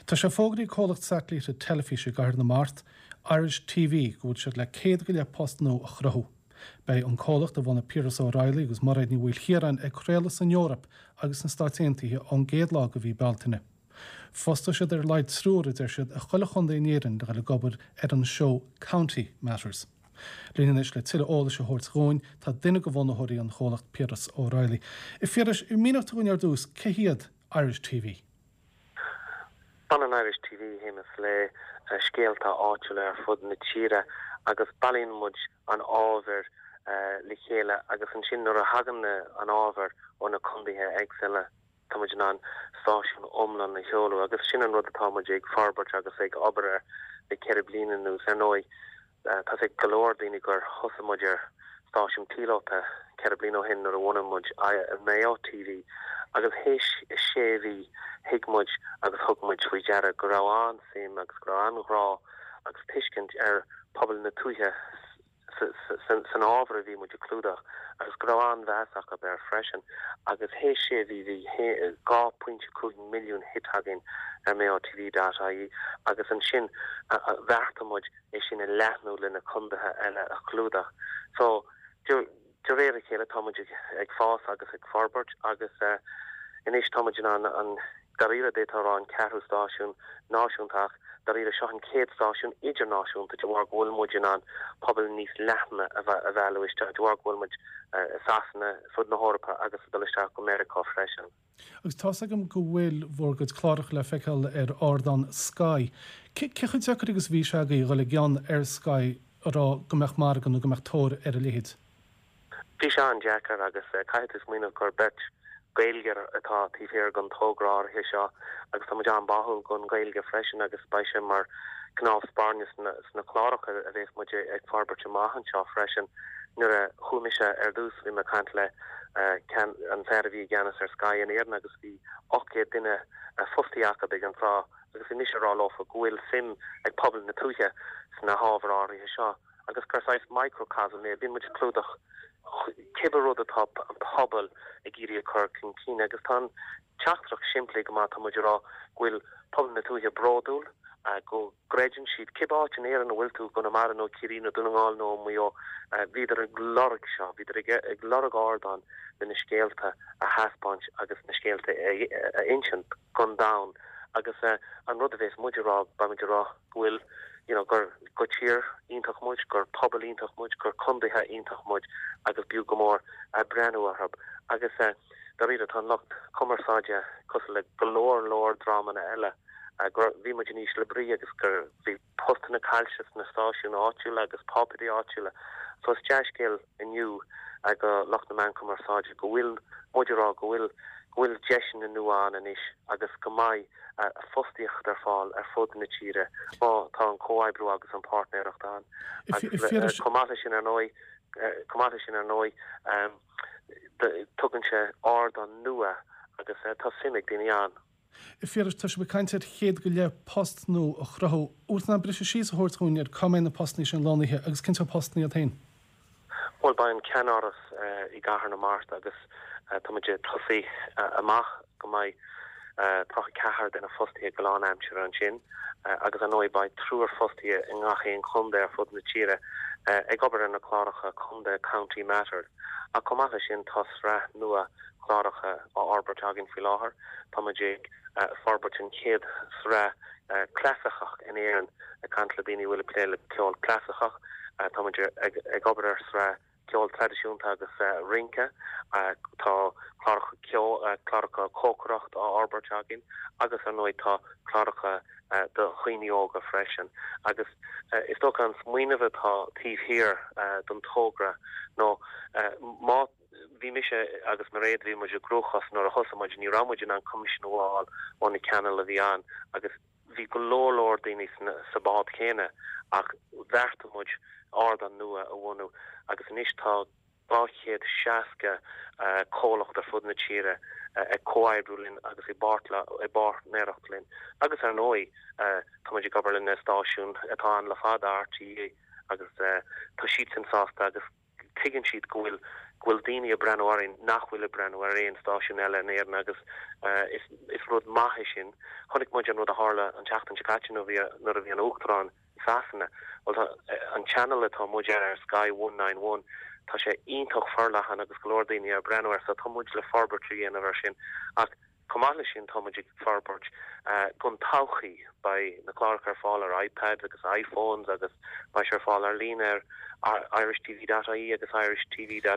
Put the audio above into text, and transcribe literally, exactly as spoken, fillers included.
Tá sé fógraithe ag comhlacht satailíte teilifíse i gCathair na Mart, Irish T V, go bhfuil siad le céad go leith post nua a chruthú. Beidh an comhlacht a bhunaigh Piaras O'Reilly agus Mairéad Ní Mhaoilchiaráin ag craoladh san Eoraip agus sna Stáit Aontaithe ón gcéad lá de mhí Bealtaine. Fostóidh siad ar a laghad triúr, a deir siad, i chuile chontae in Éirinn le ag obair ar an seó County Matters. Linn anois le tuilleadh eolais a thabhairt dúinn tá duine de bhunaitheoirí an chomhlacht, Piaras O'Reilly. A Phiarais, mínigh dúinn ar dtús cé hiad Irish T V. Baineann Irish T V Shéamus le uh, scéalta áitiúla ar fud na tíre agus bailíonn muid an ábhar uh, le chéile agus ansin nuair a thagann an ábhar ó na contaetha éagsúla, tá muid in ann stáisiún iomlán a sheoladh, agus sin an rud atá muid ag forbairt agus ag obair air le ceithre bliana anuas. Ar ndóigh, uh, tá sé go leor daoine gur thosaigh muid ar stáisiún píolóta ceithre bliana ó shin nuair a bhunaigh muid Mayo T V, agus théis sé mhí thuig muid agus thug muid faoi deara go raibh an-suim agus go raibh an-ghrá agus tuiscint ar pobal na tuaithe san ábhar a bhí muid a chlúdach agus go raibh an-mheas acu air freisin. Agus théis sé mhí bhí dhá phointe cúig milliún hit againn ar Mayo T V dot I E, agus ansin bheartaigh muid é sin a leathnú lena contaetha eile a chlúdach. So de réir a chéile tá muid ag fás agus ag forbairt agus uh, anois tá muid an an dáiríre d'fhéadfá rá an ceathrú stáisiún náisiúnta, dáiríre seo an chéad stáisiún idirnáisiúnta de bharr go bhfuil muid in ann pobal níos leithne a mhealladh isteach, de bharr go bhfuil muid uh, Sasana, fud na hEorpa agus dul isteach go Meiriceá freisin. Agus tá agam go bhfuil bhur gcuid cláracha le feiceáil ar ardán Sky. Cé chomh deacair agus bhí sé agaibh dul i gceann ar Sky rá go mbeadh margadh nó go mbeadh tóir ar a leithéid? Bhí sé an-deacair agus uh, caithfidh tú smaoineamh gur beirt Gaeilgeoir atá taobh thiar den togra áirithe seo, agus tá muid an-bháúil don Ghaeilge freisin, agus beidh sé mar cnámh spairne sna, sna cláracha a bheas muid ag forbairt amach anseo freisin. Nuair a chuaigh mise ar dtús, bhí mé ag caint le uh, an fear a bhí i gceannas ar Sky in Éirinn agus bhí ocht gcéad duine uh, fostaithe acu ag an tráth, agus bhí mise ag rá leofa go bhfuil suim ag pobal na tuaithe sna hábhair áirithe seo agus gur saghas microcosm é. Bhí muid clúdach cibé rud atá an pobal ag iarraidh a chur chun cinn, agus tá teachtaireacht simplí go maith. Tá muid ag rá go bhfuil pobal na tuaithe bródúil, go gcreideann siad, cibé áit in Éirinn a bhfuil tú, Conamara nó Ciarraí nó Dún na nGall nó Maigh Eo, bhíodar ag lorg seo, bhíodar ag lorg ardán le na scéalta a thaispeáint agus na scéalta a insint don domhan. Agus an rud a bheas muid ag rá, beimid ag rá go bhfuil you know, gur go tír iontach muid, gur pobal iontach muid, gur contaetha iontach muid, agus b'fhiú go mór a breathnú orthu. Agus uh, dáiríre tá lucht cumarsáide cosúil le go leor leor dreamanna eile, uh, gur bhí muid in ísle brí agus gur bhí postanna caillte sna stáisiúin áitiúla agus páipéirí áitiúla. So is dea-scéal inniu ag lucht na meán cumarsáide go bhfuil muid ag rá go bhfuil go bhfuil deiseanna nua ann anois agus go mbeidh fostaíocht ar fáil ar fud na tíre má tá an comhoibriú agus an páirtnéireacht ann. Chomh maith sin ar ndóigh chomh maith sin ar ndóigh, tugann sé ardán nua agus tá suim ag daoine ann. Phiarais, tá sibh ag caint ar chéad go leith post nua a chruthú. Bhfuil tú in ann briseadh síos a thabhairt dúinn ar cá mbeidh na postanna sin lonnaithe agus cén sórt postanna iad féin? Well, beidh an ceannáras uh, i gCathair na Mart agus uh, tá muid ag tosú uh, amach go mbeidh tríocha ceathair duine fostaithe go lánaimseartha ansin, agus ar ndóigh beidh triúr fostaithe i ngach aon chontae ar fud na tíre ag obair ar na cláracha contae, County Matters. A chomh maith sin, tá sraith nua cláracha á fhorbairt againn faoi láthair. Tá muid ag forbairt an chéad sraith clasaiceach in Éirinn, ag caint le daoine bhfuil plé le ceol clasaiceach. Tá muid ag obair ar sraith ceol traidisiúnta agus uh, rince. uh, tá cláracha ceol, uh, cláracha cócaireacht á fhorbairt againn, agus ar ndóigh tá cláracha uh, do dhaoine óga freisin. Agus uh, is dócha an smaoineamh atá taobh thiar uh, don togra nó uh, má bhí mise agus Mairéad, bhí muid i gcruachás nuair a thosaigh muid. Ní raibh muid in ann coimisiún a fháil ó na cainéil a bhí ann, agus bhí go leor leor daoine sa bád céanna, ach bheartaigh muid ardán nua a bhunú, agus anois tá dhá chéad seasca uh, comhlacht ar fud na tíre uh, ag comhoibriú linn agus i bpáirtnéireacht linn. Agus ar ndóigh uh, tá muid ag obair le stáisiún atá ann le fada, R T É, agus uh, tá siad sin sásta agus tuigeann siad go bhfuil go go bhfuil daoine ag breathnú orainn nach bhfuil ag breathnú ar aon stáisiún eile in Éirinn agus uh, is, is rud maith é sin. Chonaic muid an rud a tharla an tseachtain seo caite nuair a bhí an uachtarán i Sasana. Well, tá, an channel atá muid ar Sky one nine one tá sé iontach forleathan agus go leor daoine ag breathnú air so tá muid le forbairt a dhéanamh ar sin ach chomh maith leis sin tá muid ag forbairt uh, don todhchaí beidh na cláracha ar fáil ar iPad agus iPhones agus beidh sé ar fáil ar líne ar irishtv.ie agus irishtv.